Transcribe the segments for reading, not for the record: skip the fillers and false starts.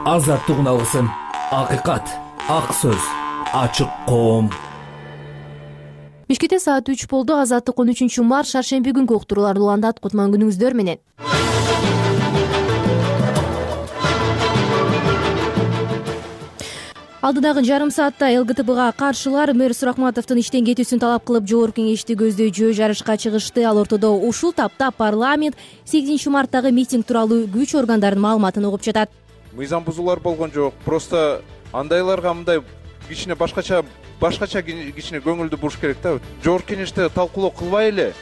Азаттык алгысын, акыйкат, ак сөз, ачык коом. Бишкекте саат 3 болду. Азаттык 13-март шаршемби күнкү уктурууларды уландат. Кутман күнүңүздөр менен. Алдыдагы жарым саатта ЛГТБга каршылар мэр Суракматовдун иштен кетүүсүн талап кылып жогорку кеңешти көздөйчү жарышка чыгышты. Ал ортодо ушул тапта парламент 8-марттагы митинг тууралуу күч органдарынын маалыматын угуп жатат. Мыйзам бузуулар болгон жок. Просто андайларга мындай кичине башкача кичине көңүлдү буруш керек да. Жогорку кеңеште талкуулоо кылбай эле.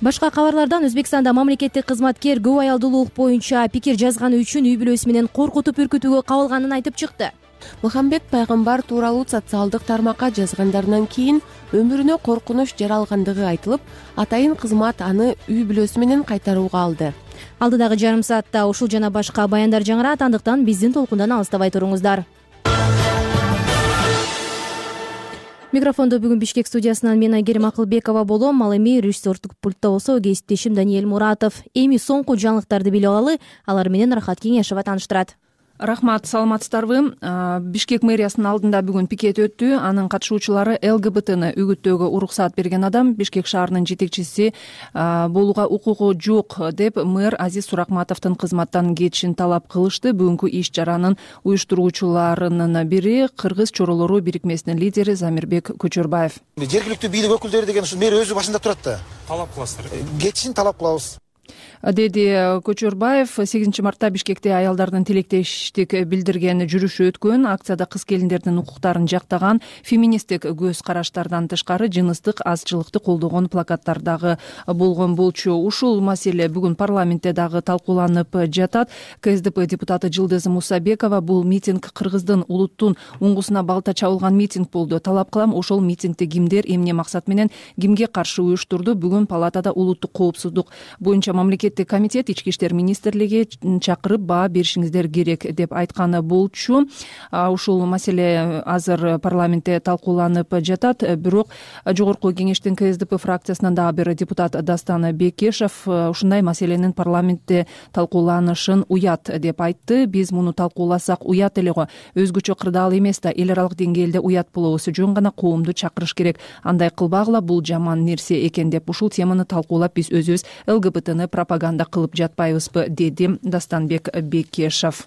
Башка кабарлардан Өзбекстанда мамлекеттик кызматкер көп аялдуулук боюнча пикир жазганы үчүн үй бүлөсү менен коркутуп үркүтүүгө кабылганын айтып чыкты. Мухаммед пайгамбар тууралуу социалдык тармакка жазгандарынан кийин өмүрүнө коркунуч жаралгандыгы айтылып, атайын кызмат аны үй бүлөсү менен кайтарууга алды. Алдыдагы жарым саатта ушул жана башка баяндар жаңырат, андыктан биздин толкундан алыстабай туруңуздар. Микрофондо бүгүн Бишкек студиясынан мен Айгерим Акылбекова болом. Ал эми режиссердук пультта болсо кесиптешим Даниэль Муратов. Эми соңку жаңылыктарды билип алалы. Алар менен Рахат Кеңешова тааныштырат. Рахмат, саламатсыздарбы. Бишкек мэриясынын алдында бүгүн пикет өттү. Анын катышуучулары ЛГБТны үгүттөөгө уруксаат берген адам Бишкек шаарынын жетекчиси болууга укугу жок деп мэр Азиз Суракматовдун кызматтан кетишин талап кылышты. Бүгүнкү иш чаранын уюштуруучуларынын бири Кыргыз чоролору бирикмесинин лидери Замирбек Көчөрбаев. Жергиликтүү бийлик өкүлдөрү деген ушул мэр өзү башында турат да. Талап кыласыздар. Кетишин талап кылабыз, деди Көчөрбаев. 8-мартта Бишкекте аялдардын тилектештик билдирген жүрүшү өткөн. Акцияда кыз келиндердин укуктарын жактаган, феминисттик көз караштардан тышкары жыныстык азчылыкты колдогон плакаттар дагы болгон болчу. Ушул маселе бүгүн парламентте дагы талкууланып жатат. КСДП депутаты Жылдыз Мусабекова бул митинг Кыргыздын улуттун уңгусуна балта чабылган митинг болду. Талап кылам, ошол митингди кимдер, эмне максат менен, кимге каршы уюштурду? Бүгүн палатада улуттук коопсуздук боюнча мамлекеттик комитет Ички иштер министрлиги чакырып баа беришиңиздер керек деп айтканы болчу. Ушул маселе азыр парламентте талкууланып жатат. Бирок жогорку кеңештин КСДП фракциясынан дагы бир депутат Дастан Бекешев ушундай маселенин парламентте талкууланышын уят деп айтты. Биз муну талкууласак уят эле го. Өзгөчө кырдаал эмес да, эл аралык деңгээлде уят болобуз. Жөн гана коомду чакырыш керек. Андай кылбагыла, бул жаман нерсе экен деп ушул теманы талкуулап биз өзүбүз ЛГБТны пропаганда кылып жатпайбызбы, деди Дастанбек Бекешев.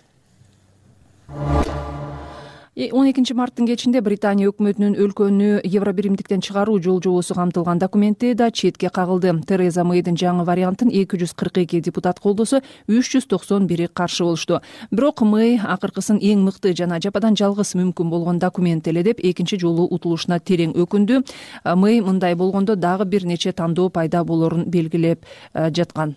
12-марттын кечинде Британия өкмөтүнүн өлкөнү Евробиримдиктен чыгаруу жол жобосу камтылган документи да четке кагылды. Тереза Мэйдин жаңы вариантын 242 депутат колдосо, 391 каршы болушту. Бирок Мэй акыркысын эң мыкты жана жападан жалгыз мүмкүн болгон документ эле деп экинчи жолу утулушуна терең өкүндү. Мэй мындай болгондо дагы бир нече тандоо пайда болорун белгилеп жаткан.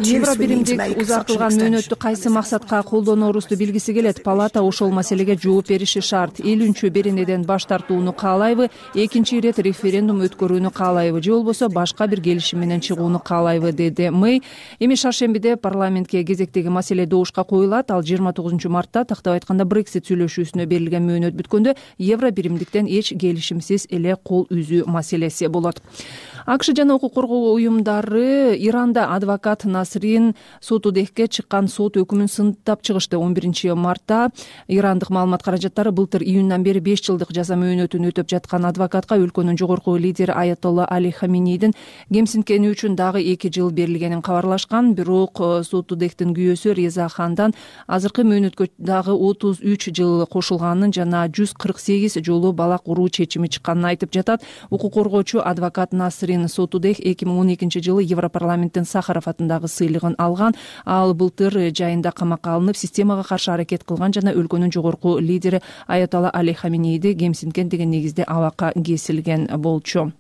Евробиримдик узартылган мөөнөттү кайсы максатка колдонорубузду билгиси келет. Палата ошол маселеге жооп бериши шарт. 50-чү беренеден баш тартууну каалайбы, экинчи ирет референдум өткөрүүнү каалайбы, же болбосо башка бир келишим менен чыгууну каалайбы, деди Мэй. Эми шаршембиде парламентке кезектеги маселе добушка коюлат. Ал 29-мартта, тактап айтканда, Брексит сүйлөшүүсүнө берилген мөөнөт бүткөндө Евробиримдиктен эч келишимсиз эле кол үзүү маселеси болот. АКШ жана укук коргоо уюмдары Иранда адвокат Насрин Сотудехке чыккан сот өкүмүн сынтап чыгышты. 11-мартта ирандык маалымат каражаттары былтыр июндан бери 5 жылдык жаза мөөнөтүн өтөп жаткан адвокатка өлкөнүн жогорку лидери Аятолла Али Хаминейдин кемсинткени үчүн дагы 2 жыл берилгенин кабарлашкан. Бирок Сотудехтин күйөөсү Реза Хандан азыркы мөөнөткө дагы 33 жыл кошулганын жана 148 жолу балак уруу чечими чыкканын айтып жатат. Укук коргоочу адвокат Насрин Сотудех 2012-жылы Европарламенттин Сахаров атындагы сыйлыгын алган. Ал былтыр жайында камакка алынып, системага каршы аракет кылган жана өлкөнүн жогорку лидери Аятолла Али Хаминейди кемсинткен деген негизде абакка кесилген болчу.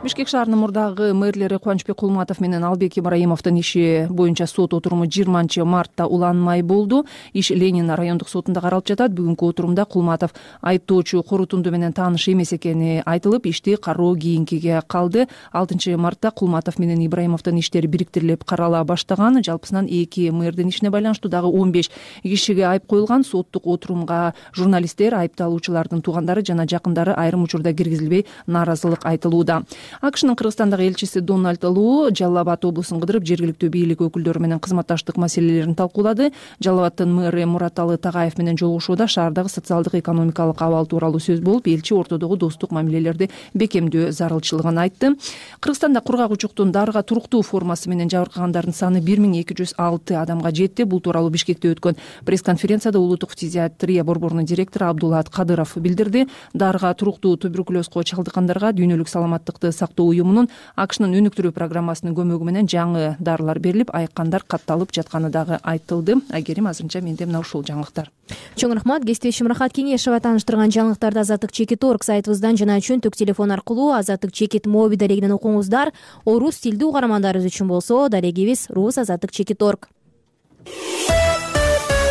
Бишкек шаарынын мурдагы мэрлери Кубанычбек Кулматов менен Албек Ибраимовдун иши боюнча сот отуруму 20-мартта уланмай болду. Иш Ленин райондук сотунда каралып жатат. Бүгүнкү отурумда Кулматов айыптоочу корутунду менен тааныш эмес экени айтылып, ишти кароо кийинкиге калды. 6-мартта Кулматов менен Ибраимовдун иштери бириктирилип карала баштаган. Жалпысынан 2 мэрдин ишине байланыштуу дагы 15 кишиге айып коюлган. Соттук отурумга журналисттер, айыпталуучулардын туугандары жана жакындары айрым учурда киргизилбей нааразылык айтылууда. АКШнын Кыргызстандагы элчиси Дональд Луу Жалал Абад облусун кыдырып жергиликтүү бийлик өкүлдөрү менен кызматташтык маселелерин талкуулады. Жалал Абадтын мэрі Мураталы Тагаев менен жолугушууда шаардагы социалдык экономикалык абал тууралуу сөз болуп, элчи ортодогу достук мамилелерди бекемдөө зарылчылыгын айтты. Кыргызстанда кургак учуктун дарыга туруктуу формасы менен жабыркагандардын саны 1206 адамга жетти. Бул тууралуу Бишкекте өткөн пресс-конференцияда улуттук фтизиатрия борборунун директору Абдулат Кадыров билдирди. Дарыга туруктуу туберкулезго чалдыккандарга Дүйнөлүк саламаттыкты сактоо уюмунун АКШнын өнүктүрүү программасынын көмөгү менен жаңы дарылар берилип, айыккандар катталып жатканы дагы айтылды. Айгерим, азырынча менде мына ушул жаңылыктар. Чоң рахмат. Кесиптешим Рахат Кеңешова тааныштырган жаңылыктарды Азаттык Чекит орг сайтыбыздан жана чөнтөк телефон аркылуу Азаттык Чекит моби дарегинен окуңуздар. Орус тилдүү угармандарыбыз үчүн болсо дарегибиз Рус Азаттык Чекит орг.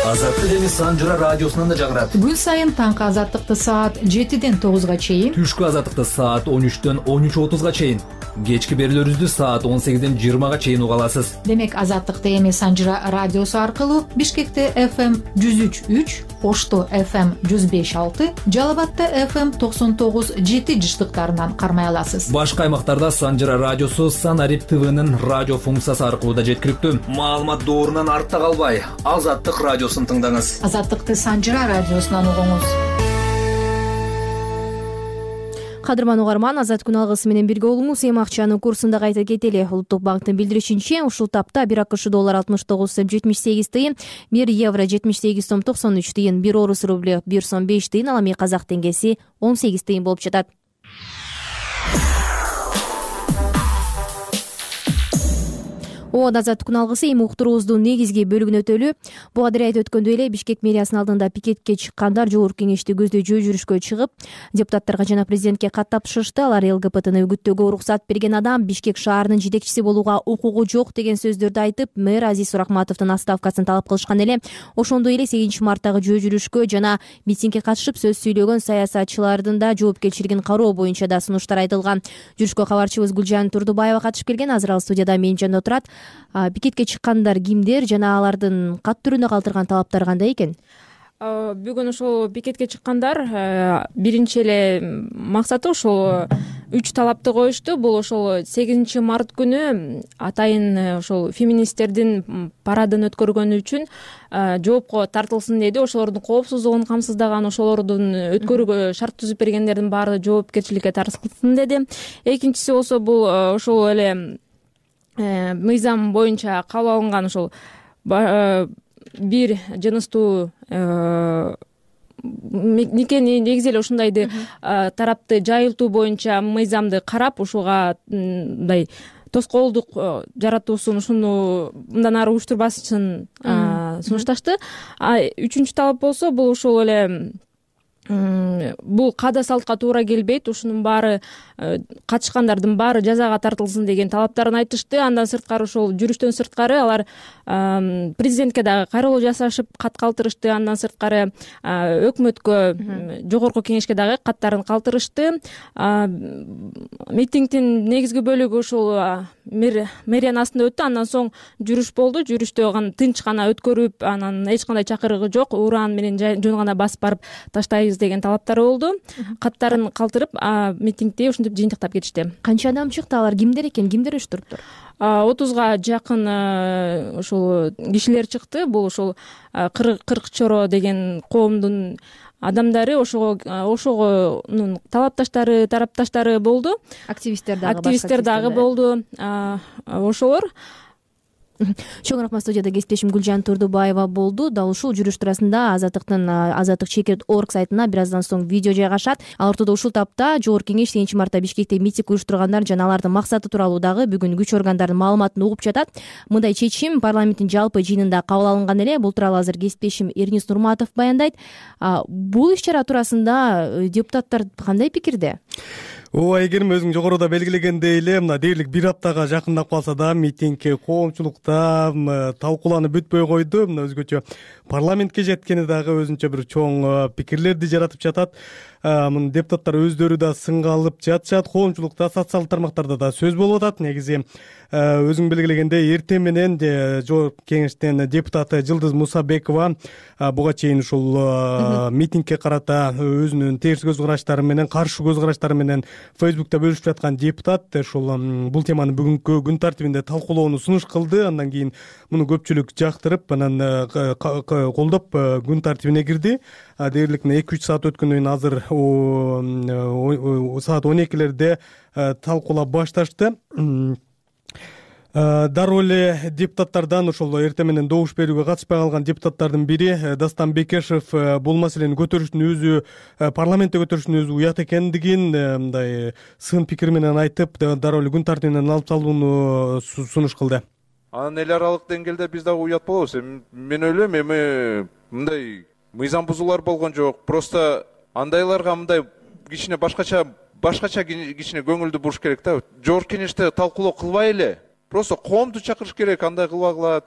Азаттык эми Санжыра радиосунан да жаңырат. Күн сайын таңкы азаттыкты саат 7ден 9га чейин, Түшкү азаттыкты саат 13дөн 13:30га чейин, кечки берүүлөрүбүздү саат 18ден 20га чейин уга аласыз. демек азаттыкты эми Санжыра радиосу аркылуу Бишкекте FM 103.3, Ошто FM 105.6, Жалал Абадта FM 99.7 жыштыктарынан кармай аласыз. Башка аймактарда Санжыра радиосу Санарип ТВнын радио функциясы аркылуу да жеткиликтүү. Маалымат доорунан артта калбай, Азаттык радиосун тыңдаңыз. Азаттыкты Санжыра радиосунан угуңуз. Кадырман угарман, Азат күн алгысы менен бирге болуңуз. Эми акчанын курсун да кайта кетели. Улуттук банктын билдиришинче, ушул тапта 1 АКШ доллар 69 сом 78 тыйын, 1 евро 78 сом 93 тыйын, 1 орус рубль 1 сом 5 тыйын, ал эми казак теңгеси 18 тыйын болуп жатат. Азаттык күн алгысы эми уктуруубуздун негизги бөлүгүн өтөлү. Буга дейин айтып өткөндөй эле Бишкек мэриясынын алдында пикетке чыккандар жогорку кеңешти көздөй жүрүшкө чыгып, депутаттарга жана президентке кат тапшырышты. Алар ЛГБТны үгүттөөгө уруксат берген адам Бишкек шаарынын жетекчиси болууга укугу жок деген сөздөрдү айтып, мэр Азиз Суракматовдун отставкасын талап кылышкан эле. Ошондой эле 8-марттагы жүрүшкө жана митингге катышып сөз сүйлөгөн саясатчылардын да жоопкерчилигин кароо боюнча да сунуштар айтылган. Жүрүшкө кабарчыбыз Гүлжан Турдубаева катышып келген. Азыр ал студияда менин жанымда отурат. Пикетке чыккандар кимдер жана алардын кат түрүнө калтырган талаптары кандай экен? Бүгүн ошол пикетке чыккандар биринчи эле максаты ошол 3 талапты коюшту. Бул ошол 8-март күнү атайын ошол феминисттердин парадын өткөргөнү үчүн жоопко тартылсын деди. Ошолордун коопсуздугун камсыздаган, ошолордун өткөрүүгө шарт түзүп бергендердин баары жоопкерчиликке тартылсын деди. Экинчиси болсо бул ошол эле мыйзам боюнча кабыл алынган ошол бир жыныстуу никени негизи эле ушундайды тарапты жайылтуу боюнча мыйзамды карап, ушуга мындай тоскоолдук жаратуусун ушуну мындан ары уюштурбашын сунушташты. Үчүнчү талап болсо бул ушул эле бул каада салтка туура келбейт, ушунун баары катышкандардын баары жазага тартылсын деген талаптарын айтышты. Андан сырткары ошол жүрүштөн сырткары алар президентке дагы кайрылуу жасашып кат калтырышты. Андан сырткары өкмөткө, жогорку кеңешке дагы каттарын калтырышты. Митингдин негизги бөлүгү ушул мэриянын астында өттү. Андан соң жүрүш болду. Жүрүштө тынч гана өткөрүп, анан эч кандай чакырыгы жок, ураан менен жөн гана басып барып таштайбыз деген талаптары болду. Каттарын калтырып, митингди ушинтип жыйынтыктап кетишти. Канча адам чыкты? Алар кимдер экен? Кимдер уюштуруптур? 30га жакын ушул кишилер чыкты. Бул ушул кырк чоро деген коомдун адамдары, ошогонун талапташтары, тарапташтары болду. Активисттер дагы болду. Ошолор. Чоң рахмат. Студияда кесиптешим Гүлжан Турдубаева болду. Дал ушул жүрүш туурасында Азаттык Чекит орг сайтына бир аздан соң видео жайгашат. Ал ортодо ушул тапта жогорку кеңеш 7-мартта Бишкекте митинг уюштургандар жана алардын максаты тууралуу дагы бүгүн күч органдарынын маалыматын угуп жатат. Мындай чечим парламенттин жалпы жыйынында кабыл алынган эле. Бул тууралуу азыр кесиптешим Эрнис Нурматов баяндайт. Бул иш-чара туурасында депутаттар кандай пикирде? Айгерим, өзүң жогоруда белгилегендей эле, мына дээрлик 1 аптага жакындап калса да митинг коомчулукта талкууланып бүтпөй койду. Мына өзгөчө парламентке жеткени дагы өзүнчө бир чоң пикирлерди жаратып жатат. муну депутаттар өздөрү да сынга алып жатышат. Коомчулукта, социалдык тармактарда да сөз болуп атат. Негизи өзүң белгилегендей эртең менен жогорку кеңештин депутаты Жылдыз Мусабекова буга чейин ушул митингге карата өзүнүн терс көз караштары менен, каршы көз караштары менен Facebook'та бөлүшүп жаткан депутат ушул бул теманы бүгүнкү күн тартибинде талкуулоону сунуш кылды. Андан кийин муну көпчүлүк жактырып, анан колдоп күн тартибине кирди. Дээрлик 2-3 саат өткөндөн кийин азыр саат 12-лерде талкуулап башташты. Дароо эле депутаттардан ошол эртең менен добуш берүүгө катышпай калган депутаттардын бири Дастан Бекешев бул маселени көтөрүштүн өзү, парламентте көтөрүштүн өзү уят экендигин мындай сын пикир менен айтып, дароо эле күн тартибинен алып салууну сунуш кылды. Анан эл аралык деңгээлде биз дагы уят болобуз. Мен ойлойм, эми мындай мыйзам бузуулар болгон жок. Просто андайларга мындай кичине башкача кичине көңүлдү буруш керек да. Жогорку кеңеште талкуулоо кылбай эле просто коомду чакырыш керек. Андай кылбагыла,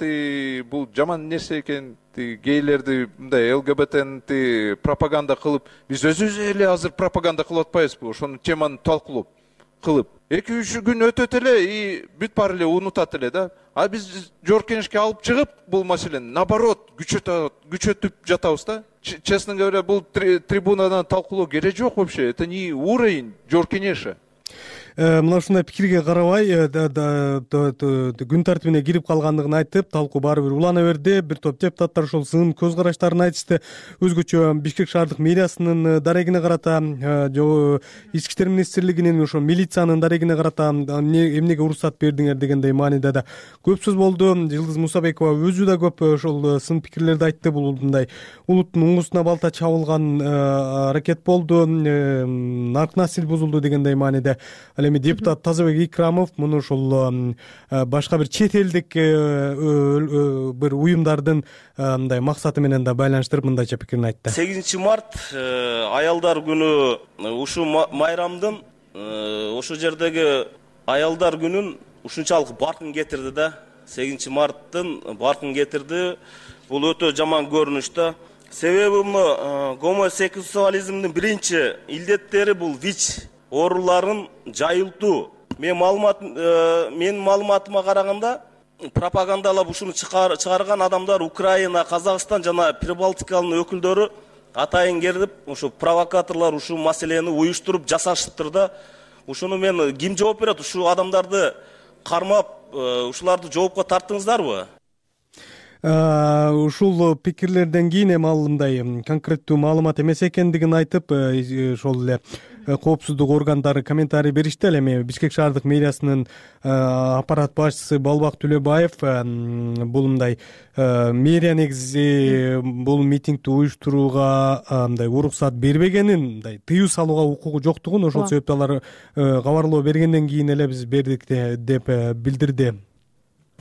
бул жаман нерсе экен, гейлерди мындай ЛГБТни пропаганда кылып, биз өзүбүз эле азыр пропаганда кылып атпайбызбы? Ошону теманы талкуулап кылып 2-3 күн өтөт эле и бүт баары эле унутат эле да. А биз жогорку кеңешке алып чыгып бул маселени наоборот күчөтүп жатабыз да. Честно говоря, бул трибунадан талкуулоо керек жок вообще. Это не уровень жогорку кеңеши. Мына ушундай пикирге карабай күн тартибине кирип калгандыгын айтып, талкуу баары бир улана берди. Бир топ депутаттар ошол сын көз караштарын айтышты. Өзгөчө Бишкек шаардык мэриясынын дарегине карата, ички иштер министрлигинин ошо милициянын дарегине карата эмнеге уруксат бердиңер дегендей мааниде да көп сөз болду. Жылдыз Мусабекова өзү да көп ошол сын пикирлерди айтты. Бул мындай улуттун уңусуна балта чабылган аракет болду, нарк насил бузулду дегендей мааниде. Эми депутат Тазабек Икрамов муну ушул башка бир чет элдик бир уюмдардын мындай максаты менен да байланыштырып мындайча пикирин айтты. 8 март аялдар күнү ушул майрамдын ошол жердеги аялдар күнүн ушунчалык баркын кетирди да. 8 марттын баркын кетирди. Бул өтө жаман көрүнүш да. Себеби муну гомосексуализмдин биринчи илдеттери бул ВИЧ ооруларын жайылтуу. Менин маалыматыма караганда пропагандалап ушуну чыгарган адамдар Украина, Казакстан жана Прибалтиканын өкүлдөрү атайын келип, ушу провокаторлор ушу маселени уюштуруп жасашыптыр да. Ушуну мен ким жооп берет? Ушу адамдарды кармап, ушуларды жоопко тарттыңыздарбы? Ушул пикирлерден кийин эми ал мындай конкреттүү маалымат эмес экендигин айтып, ошол эле коопсуздук органдары комментарий беришти. Эми Бишкек шаардык мэриясынын аппарат башчысы Балбак Төлөбаев бул мындай мэрия негизи бул митингди уюштурууга мындай уруксат бербегенин, мындай тыюу салууга укугу жоктугун, ошол себептен алар кабарлоо бергенден кийин эле биз бердик деп билдирди.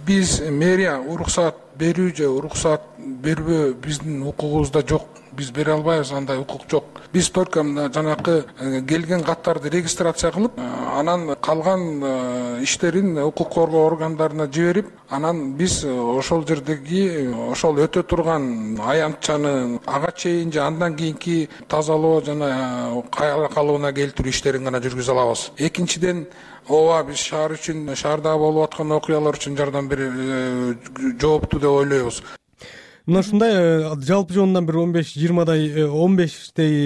Биз мэрия уруксат берүү же уруксат бербөө биздин укугубузда жок. Биз бере албайбыз, андай укук жок. Биз только жанакы келген каттарды регистрация кылып, анан калган иштерин укук коргоо органдарына жиберип, анан биз ошол жердеги ошол өтө турган аянтчаны ага чейин же андан кийинки тазалоо жана кайра калыбына келтирүү иштерин гана жүргүзө алабыз. Экинчиден, ооба биз шаар үчүн, шаарда болуп аткан окуялар үчүн жардам берип жооптуу деп ойлойбуз. Мына ушундай жалпы жонунан бир 15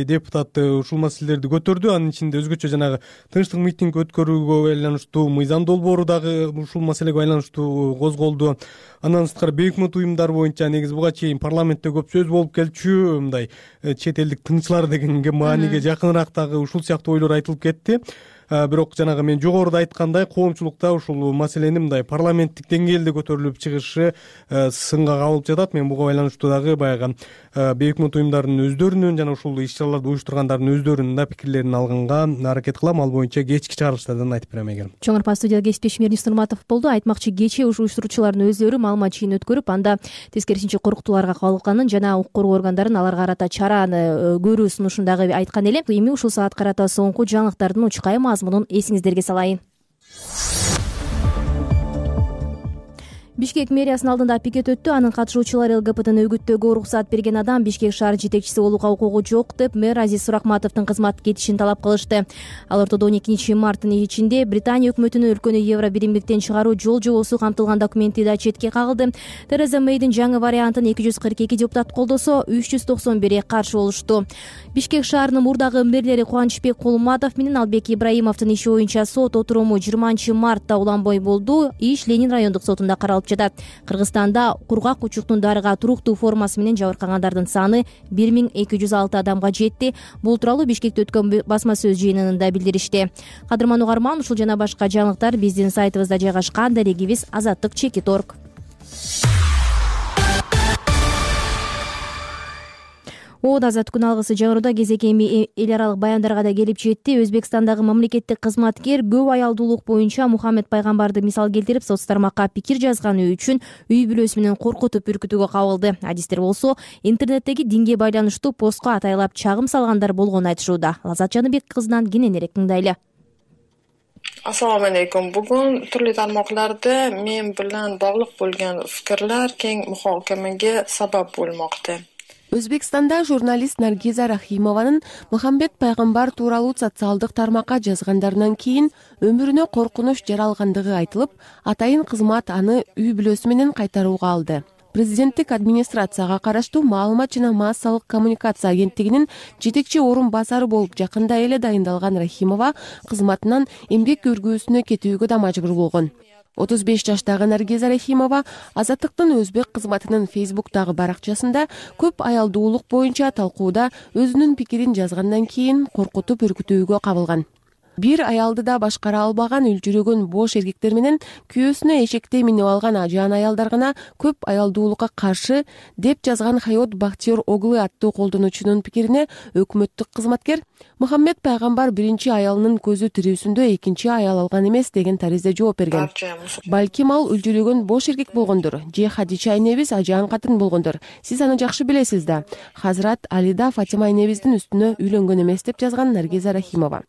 депутат ушул маселелерди көтөрдү. Анын ичинде өзгөчө жанагы тынчтык митинг өткөрүүгө байланыштуу мыйзам долбоору дагы ушул маселеге байланыштуу козголду. Андан сырткары бейөкмөт уюмдар боюнча негизи буга чейин парламентте көп сөз болуп келчү, мындай чет элдик тынччылар дегенге мааниге жакыныраак дагы ушул сыяктуу ойлор айтылып кетти. Бирок жанагы мен жогоруда айткандай, коомчулукта ушул маселени мындай парламенттик деңгээлде көтөрүлүп чыгышы сынга кабылып жатат. Мен буга байланыштуу дагы баягы бейөкмөт уюмдардын өздөрүнүн жана ушул иш-чараларды уюштургандардын өздөрүнүн да пикирлерин алганга аракет кылам. Ал боюнча кечки чыгарылыштардан айтып берем эгер. Чоң Арпа студияда кесиптешим Эрнис Нурматов болду. Айтмакчы, кечээ уюштуруучулардын өздөрү маалымат жыйын өткөрүп, анда тескерисинче коркутууларга кабылганын жана укук коргоо органдарын аларга карата чараны көрүү сунушун дагы айткан эле. Эми ушул саат карата соңку жаңылыктардын учкай мазмунун эсиңиздерге салайын. Бишкек мэриясынын алдында пикет өттү. Анын катышуучулары ЛГБТны үгүттөөгө уруксат берген адам Бишкек шаар жетекчиси болууга укугу жок деп мэр Азиз Суракматовдун кызмат кетишин талап кылышты. Ал ортодо 12 марттын ичинде Британия өкмөтүнүн өлкөнү евро биримдиктен чыгаруу жол жобосу камтылган документи да четке кагылды. Тереза Мэйдин жаңы вариантын 242 депутат колдосо, 391 каршы болушту. Бишкек шаарынын мурдагы мэрлери Кубанычбек Кулматов менен Албек Ибраимовдун иши боюнча сот отуруму 20 мартта уланбой болду. Иш Ленин райондук сотунда каралып жатат. Кыргызстанда кургак учуктун дарыга туруктуу формасы менен жабыркагандардын саны 1206 адамга жетти. Бул тууралуу Бишкекте өткөн басма сөз жыйынында билдиришти. Кадырман угарман, ушул жана башка жаңылыктар биздин сайтыбызда жайгашкан. Дарегибиз Азаттык.org. Азат күн алгысы жаңыруда кезек эми эл аралык баяндарга да келип жетти. Өзбекстандагы мамлекеттик кызматкер көп аялдуулук боюнча Мухаммед пайгамбарды мисал келтирип, соц тармакка пикир жазганы үчүн үй бүлөсү менен коркутуп үркүтүүгө кабылды. Адистер болсо интернеттеги динге байланыштуу постко атайлап чагым салгандар болгонун айтышууда. Лазат Жаныбек кызынан кененирээк тыңдайлы. Assalomu alaykum. Bugun turli tarmoqlarda men bilan bog'liq bo'lgan fikrlar keng muhokamaga sabab bo'lmoqda. Өзбекстанда журналист Наргиза Рахимованын Мухаммед пайгамбар тууралуу социалдык тармакка жазгандарынан кийин өмүрүнө коркунуч жаралгандыгы айтылып, атайын кызмат аны үй бүлөсү менен кайтарууга алды. Президенттик администрацияга караштуу маалымат жана массалык коммуникация агенттигинин жетекчи орун басары болуп жакында эле дайындалган Рахимова кызматынан эмгек өргүүсүнө кетүүгө да мажбур болгон. 35 жаштагы Наргиза Рахимова Азаттыктын өзбек кызматынын Фейсбуктагы баракчасында көп аялдуулук боюнча талкууда өзүнүн пикирин жазгандан кийин коркутуп үркүтүүгө кабылган. Бир аялды да башкара албаган үлжүрөгөн бош эркектер менен күйөөсүнө эшекте минип алган ажаан аялдар гана көп аялдуулукка каршы деп жазган Хайот Бахтиер Оглы аттуу колдонуучунун пикирине өкмөттүк кызматкер Мухаммед пайгамбар биринчи аялынын көзү тирүүсүндө экинчи аял алган эмес деген таризде жооп берген. Балким ал үлжүрөгөн бош эркек болгондур, же Хадича айнебиз ажаан катын болгондур. Сиз аны жакшы билесиз да. Хазрат Алида Фатима айнебиздин үстүнө үйлөнгөн эмес деп жазган Наргиза Рахимова.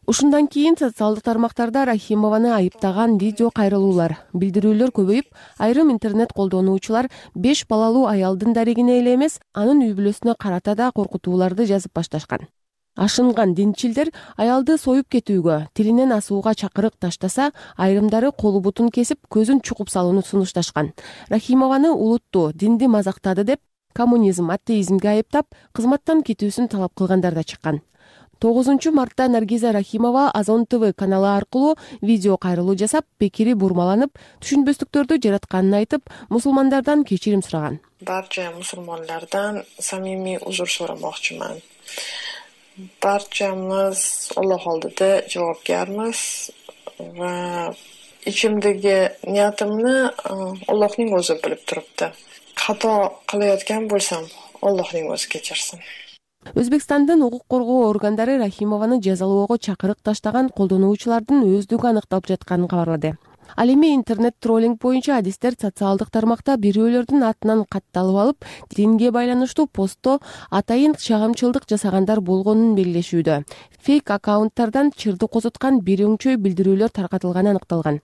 Ушундан кийин социалдык тармактарда Рахимованы айыптаган видео кайрылуулар, билдирүүлөр көбөйүп, айрым интернет колдонуучулар 5 балалуу аялдын дарегине эле эмес, анын үй бүлөсүнө карата да коркутууларды жазып башташкан. Ашынган динчилдер аялды союп кетүүгө, тилинен асууга чакырык таштаса, айрымдары колу бутун кесип, көзүн чукуп салууну сунушташкан. Рахимованы улутту, динди мазактады деп, коммунизм, атеизмге айыптап, кызматтан кетүүсүн талап кылгандар да чыккан. 9 мартта Наргиза Рахимова Азон ТВ каналы аркылуу видео кайрылуу жасап, пикири бурмаланып, түшүнбөстүктөрдү жаратканын айтып, мусулмандардан кечирим сураган. Барча мусулмандардан самимий узур сорамакчымын. Барчамыз Аллах алдыда жоопкермиз ва ичимдеги ниятымны Аллахтын өзү билип турупты. Ката кылайоткан болсам, Аллахтын өзү кечирсин. Өзбекстандын укук коргоо органдары Рахимованы жазалоого чакырык таштаган колдонуучулардын өздүгү аныкталып жатканын кабарлады. Ал эми интернет троллинг боюнча адистер социалдык тармакта бирөөлөрдүн атынан катталып алып, динге байланыштуу постто атайын чагымчылдык жасагандар болгонун белгилешүүдө. Фейк аккаунттардан чырды козуткан бир өңчөй билдирүүлөр таркатылганы аныкталган.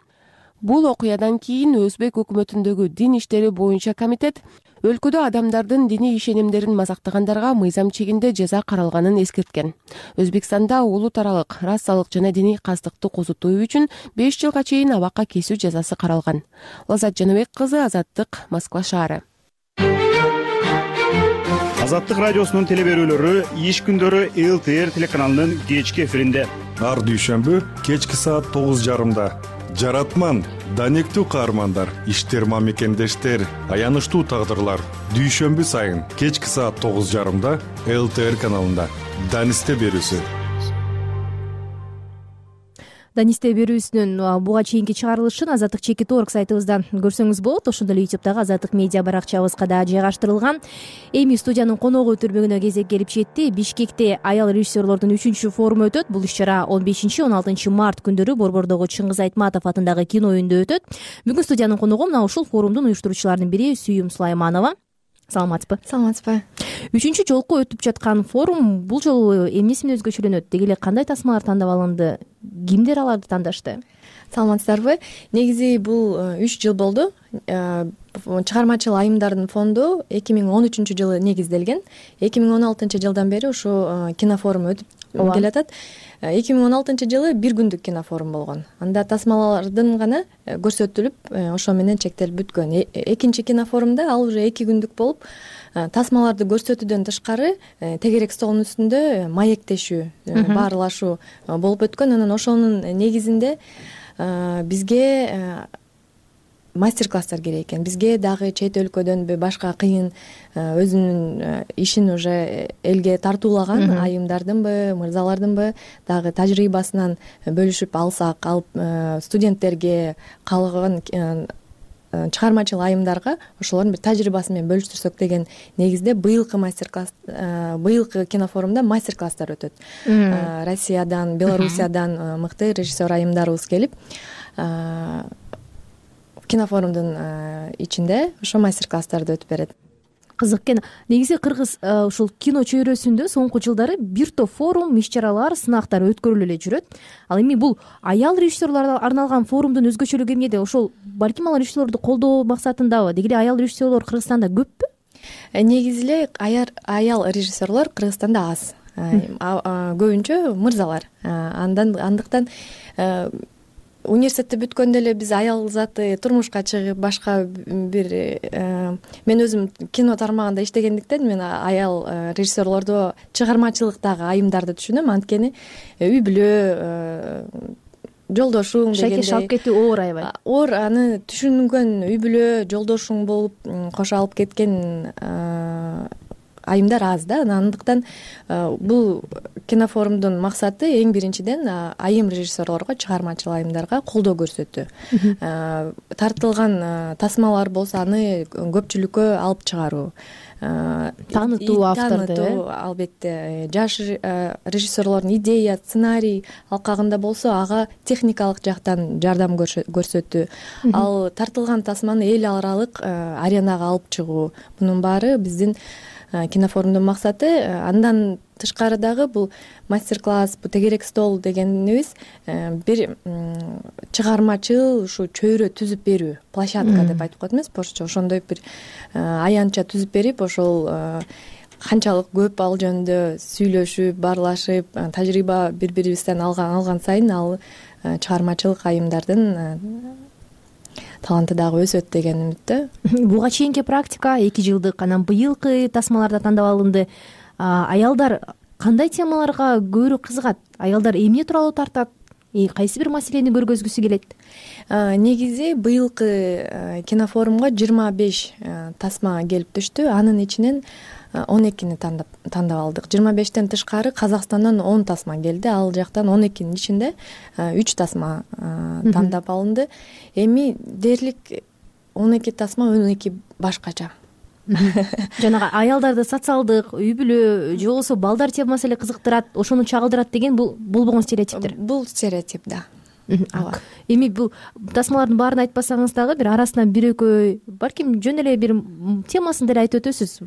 Бул окуядан кийин Өзбек өкмөтүндөгү дин иштери боюнча комитет өлкөдө адамдардын диний ишенимдерин мазактагандарга мыйзам чегинде жаза каралганын эскерткен. Өзбекстанда улут аралык, расалык жана диний кастыкты козутуу үчүн 5 жылга чейин абакка кесүү жазасы каралган. Лазат Жаныбек кызы, Азаттык, Москва шаары. Азаттык радиосунун телеберүүлөрү иш күндөрү ЛТР телеканалынын кечки эфиринде. Ар дүйшөмбү кечки саат 9:30. Жаратман, данектүү каармандар, иштерма мекендештер, аянычтуу тагдырлар. Дүйшөмбү сайын кечки саат 9:30 ЛТР каналында. Данисте берүүсү. Данисте берүүсүнүн буга чейинки чыгарылышын Азаттык.org сайтыбыздан көрсөңүз болот. Ошондой эле YouTube'дагы Азаттык медиа баракчабызга да жайгаштырылган. Эми студиянын коногу өтүрмөгүнө кезек келип жетти. Бишкекте аял режиссерлордун 3-чү форуму өтөт. Бул иш-чара 15-16 март күндөрү Борбордогу Чыңгыз Айтматов атындагы кино үйүндө өтөт. Бүгүн студиянын коногу мына ушул форумдун уюштуруучуларынын бири Сүйүм Сулайманова. Саламатсызбы? Саламатсызбы. 3-жолку өтүп жаткан форум бул жолу эмнеси менен өзгөчөлөнөт? Деги эле кандай тасмалар тандап алынды? кимдер аларды тандашты? Саламатсыздарбы? Негизи бул 3 жыл болду. Чыгармачыл айымдардын фонду 2013-жылы негизделген. 2016-жылдан бери ушу кинофорум өтүп келатат. 2016-жылы бир күндүк кинофорум болгон. Анда тасмалардын гана көрсөтүлүп, ошо менен чектелип бүткөн. Экинчи кинофорумда ал уже 2 күндүк болуп, тасмаларды көрсөтүүдөн тышкары тегерек столдун үстүндө маектешүү, баарлашуу болуп өткөн. Анан ошонун негизинде бизге мастер-класстар керек экен. Бизге дагы чет өлкөдөн башка кыйын өзүнүн ишин уже элге тартуулаган айымдардынбы, мырзалардынбы дагы тажрыйбасынан бөлүшүп алсак, алып студенттерге, калган чыгармачыл айымдарга ошолордун бир тажрыйбасы менен бөлүштүрсөк деген негизде быйылкы быйылкы кинофорумда мастер-класстар өтөт. Россиядан, Белоруссиядан мыкты режиссер айымдарыбыз келип, кинофорумдун ичинде ошо мастер-класстарды өтүп берет. Кызык экен. Негизи кыргыз ушул кино чөйрөсүндө соңку жылдары бир топ форум, иш-чаралар, сынактар өткөрүлүп эле жүрөт. Ал эми бул аял режиссерлорго арналган форумдун өзгөчөлүгү эмнеде? Ошол балким ал режиссерлорду колдоо максатындабы? Деги эле аял режиссерлор Кыргызстанда көппү? Негизи эле аял режиссерлор Кыргызстанда аз. Көбүнчө мырзалар. Андыктан университетти бүткөндө эле биз аял заты турмушка чыгып, башка бир мен өзүм кино тармагында иштегендиктен мен аял режиссерлорду, чыгармачылыктагы айымдарды түшүнөм. Анткени үй бүлө, жолдошуң дегендей шакеш алып кетүү оор аябай. Оор, аны түшүнгөн үй бүлө, жолдошуң болуп кошо алып кеткен айымдар аз да. Андыктан бул кинофорумдун максаты эң биринчиден айым режиссерлорго, чыгармачыл айымдарга колдоо көрсөтүү. Тартылган тасмалар болсо аны көпчүлүккө алып чыгаруу, таанытуу авторду, албетте жаш режиссерлордун идея, сценарий алкагында болсо ага техникалык жактан жардам көрсөтүү, ал тартылган тасманы эл аралык аренага алып чыгуу. Мунун баары биздин кинофорумдун максаты. Андан тышкары дагы бул мастер-класс, бул тегерек стол дегенибиз бир чыгармачыл ушу чөйрө түзүп берүү, площадка деп айтып коет эмес, орусча ошондой бир аянтча түзүп берип, ошол канчалык көп ал жөнүндө сүйлөшүп, баарлашып, тажрыйба бири-бирибизден алган сайын ал чыгармачылык айымдардын таланты дагы өсөт деген үмүттө. Буга чейинки практика 2 жылдык, анан быйылкы тасмаларда тандап алынды. Аялдар кандай темаларга көбүрөөк кызыгат? Аялдар эмне тууралуу тартат? Кайсы бир маселени көргөзгүсү келет? Негизи быйылкы кинофорумга 25 тасма келип түштү. Анын ичинен 12-ни тандап алдык. 25тен тышкары Казакстандан 10 тасма келди. Ал жактан 12-нин ичинде 3 тасма тандап алынды. Эми дээрлик 12 тасма 12 башкача. Жанагы аялдарды социалдык, үй бүлө же болбосо балдар темасы эле кызыктырат, ошону чагылдырат деген бул болгон стереотиптер. Бул стереотип, да. Эми бул тасмалардын баарын айтпасаңыз дагы бир арасынан бир экөө балким жөн эле бир темасын деле айтып өтөсүз,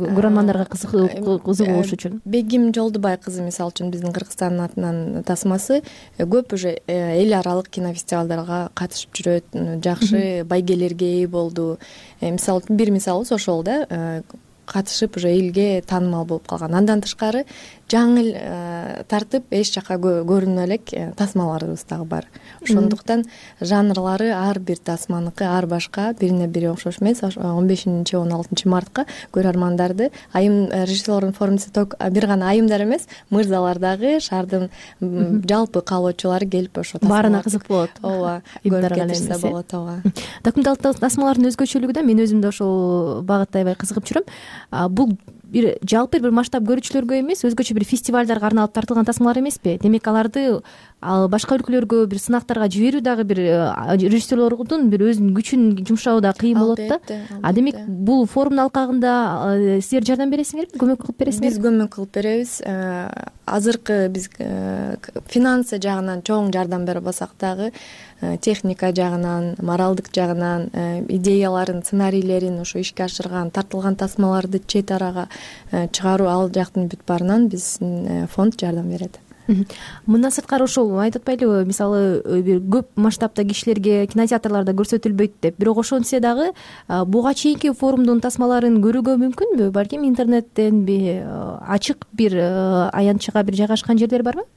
көрөрмандарга кызыгууш үчүн. Бегим Жолдубай кызы мисалы үчүн биздин Кыргызстандын атынан тасмасы көп уже эл аралык кинофестивалдарга катышып жүрөт, жакшы байгелерге ээ болду. Мисалы бир мисалыбыз ошол да, катышып уже элге таанымал болуп калган. Андан тышкары жаңыл тартып эч жака көрүнө элек тасмаларыбыз дагы бар. Ошондуктан жанрлары ар бир тасманыкы ар башка, бирине бири окшош эмес. 15-16 мартка көрөрмандарды айым режиссерлордун форумда бир гана айымдар эмес, мырзалар дагы, шаардын жалпы каалоочулары келип ошо баарына кызык болот. Ооба, көрүп кетишсе болот. Ооба. Документалдык тасмалардын өзгөчөлүгү да мен өзүм да ошол багытта аябай кызыгып жүрөм. Бул бир жалпы бир масштаб көрүүчүлөргө эмес, өзгөчө бир фестивалдарга арналып тартылган тасмалар эмеспи? Демек аларды башка өлкөлөргө бир сынактарга жиберүү дагы бир режиссерлордун бир өзүнүн күчүн жумшабы да кыйын болот да. Демек бул форумдун алкагында силер жардам бересиңерби, көмөк кылып бересиңерби? Биз көмөк кылып беребиз. Азыркы биз финансы жагынан чоң жардам бере албасак дагы техника жагынан, моралдык жагынан, идеяларын, сценарийлерин ошо ишке ашырган, тартылган тасмаларды чет арага чыгаруу, ал жактын бүт баарынан биздин фонд жардам берет. Мындан сырткары ошол айтып атпайлыбы, мисалы бир көп масштабта кишилерге кинотеатрларда көрсөтүлбөйт деп, бирок ошентсе дагы буга чейинки форумдун тасмаларын көрүүгө мүмкүнбү? Балким интернеттенби, ачык бир аянтчыга бир жайгашкан жерлер барбы?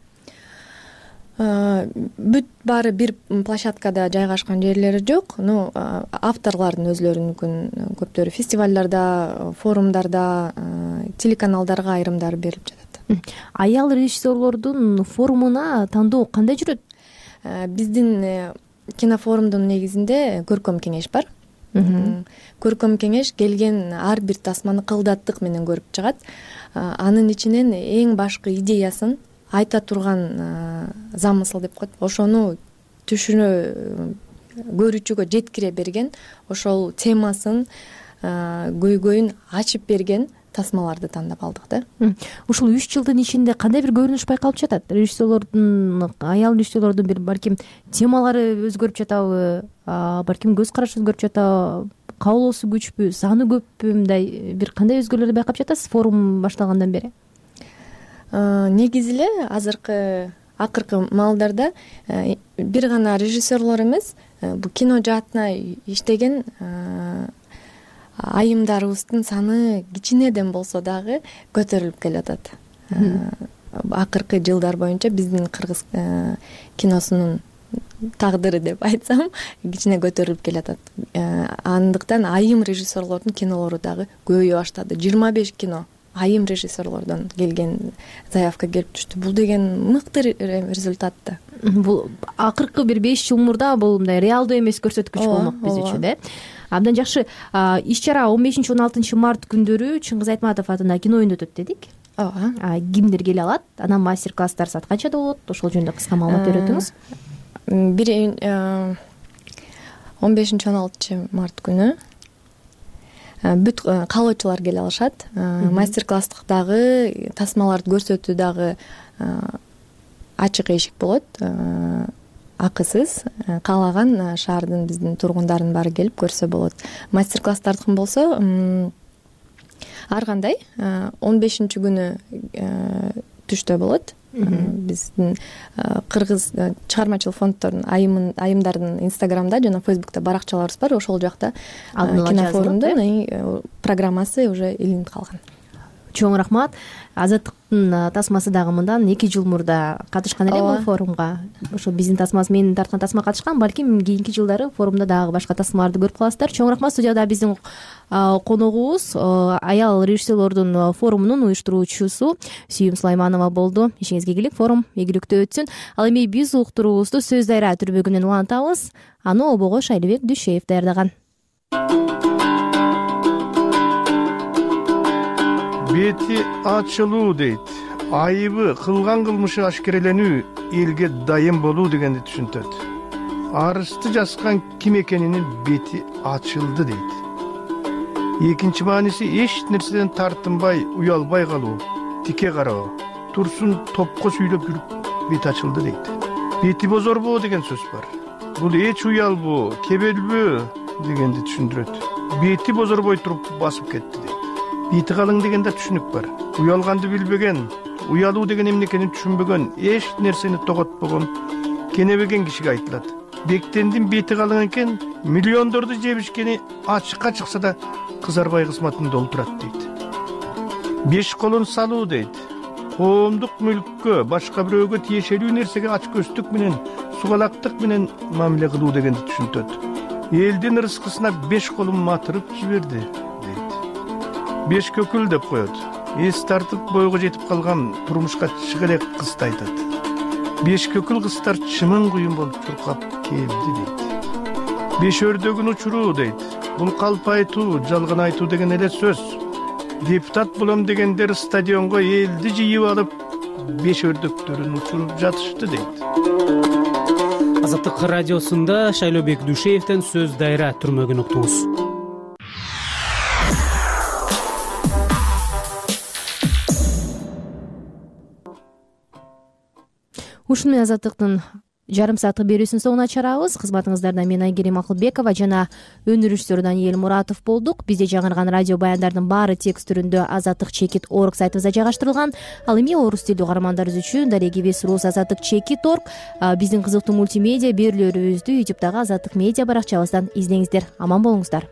Бүт баары бир площадкада жайгашкан жерлери жок. Авторлордун өзлөрүнүкүн көптөрү фестивалдарда, форумдарда, телеканалдарга айрымдары берилип жатат. Аял режиссерлордун форумуна тандоо кандай жүрөт? Биздин кинофорумдун негизинде көркөм кеңеш бар. Көркөм кеңеш келген ар бир тасманы кылдаттык менен көрүп чыгат. Анын ичинен эң башкы идеясын айта турган замысыл деп коет. Ошону көрүүчүгө жеткире берген, ошол темасын, көйгөйүн ачып берген тасмаларды тандап алдык да. Ушул 3 жылдын ичинде кандай бир көрүнүш байкалып жатат? Аял режиссерлордун бир балким темалары өзгөрүп жатабы, балким көз карашы өзгөрүп жатабы, каалоосу күчпү, саны көппү, мындай бир кандай өзгөрүүлөрдү байкап жатасыз форум башталгандан бери? Негизи эле акыркы маалдарда бир гана режиссерлор эмес, бул кино жаатына иштеген айымдарыбыздын саны кичинеден болсо дагы көтөрүлүп келатат. Акыркы жылдар боюнча биздин кыргыз киносунун тагдыры деп айтсам, кичине көтөрүлүп келатат. Андыктан айым режиссерлордун кинолору дагы көбөйө баштады. 25 кино айым режиссерлордон келген заявка келип түштү. Бул деген мыкты результат да. Бул акыркы бир 5 жыл мурда бул мындай реалдуу эмес көрсөткүч болмок биз үчүн, да. Абдан жакшы. Иш-чара 15-16 март күндөрү Чыңгыз Айтматов атындагы кино үйүндө өтөт дедик. Ооба. Кимдер келе алат? Анан мастер-класстар саат канчада болот? Ошол жөнүндө кыска маалымат бериңиз. 15-16 март күнү бүт каалоочулар келе алышат. Мастер-класстагы тасмаларды көрсөтүү дагы ачык эшик болот. Акысыз, каалаган шаардын биздин тургундарынын баары келип көрсө болот. Мастер-класстардыкын болсо ар кандай 15 күнү түштө болот. Биздин кыргыз чыгармачылык фонддордун айымдардын инстаграмда жана фейсбукта баракчаларыбыз бар. Ошол жакта кинофорумдун программасы уже илинип калган. Чоң рахмат. Азаттыктын тасмасы дагы мындан 2 жыл мурда катышкан эле бул форумга. Ошо биздин тасмабыз, менин тарткан тасма катышкан. Балким кийинки жылдары форумда дагы башка тасмаларды көрүп каласыздар. Чоң рахмат. Студияда биздин коногубуз аял режиссерлордун форумунун уюштуруучусу Сүйүм Сулайманова болду. Ишиңизге ийгилик, форум ийгиликтүү өтсүн. Ал эми биз уктуруубузду Сөз дайра түрбөгүнөн улантабыз. Аны обого Шайлыбек Дүшеев даярдаган. Бети ачылуу дейт. Айыбы, кылган кылмышы ашкереленүү, элге дайым болуу дегенди түшүнтөт. Арызды жазган ким экенинин бети ачылды дейт. Экинчи мааниси эч нерседен тартынбай, уялбай калуу, тике кароо, турсун топко сүйлөп жүрүп бети ачылды дейт. Бети бозорбоо деген сөз бар. Бул эч уялбоо, кебелбөө дегенди түшүндүрөт. Бети бозорбой туруп басып кетти дейт. Бети калың деген да түшүнүк бар. Уялганды билбеген, уялуу деген эмне экенин түшүнбөгөн, эч нерсени тоготпогон, кенебеген кишиге айтылат. Бектендин бети калың экен, миллиондорду жебишкени ачыкка чыкса да кызарбай кызматын долтурат дейт. Беш колун салуу дейт. Коомдук мүлккө, башка бирөөгө тиешелүү нерсеге ачкөздүк менен, сугалактык менен мамиле кылуу дегенди түшүнтөт. Элдин рызкысына беш колун матырып жиберди. Беш көкүл деп коет. Эс тартып бойго жетип калган турмушка чыга элек кызды айтат. Беш көкүл кыздар чымын куюн болуп чуркап келди дейт. Беш өрдөгүн учуруу дейт. Бул калп айтуу, жалган айтуу деген эле сөз. Депутат болом дегендер стадионго элди жыйып алып, беш өрдөктөрүн учуруп жатышты дейт. Азаттык радиосунда Шайлыбек Дүшеевден Сөз дайра түрмөгүн уктуңуз. Ушуну Азаттыктын жарым сааттык берүүсүнүн соңуна чыгарабыз. Кызматыңыздарда мен Айгерим Акылбекова жана өнөр режиссеру Даниэль Муратов болдук. Бизде жаңырган радио баяндардын баары текст түрүндө Азаттык чекит орг сайтыбызда жайгаштырылган. Ал эми орус тилдүү каармандарыбыз үчүн дарегибиз рус Азаттык чекит орг. Биздин кызыктуу мультимедиа берүүлөрүбүздү YouTube'дагы Азаттык медиа баракчабыздан издеңиздер. Аман болуңуздар.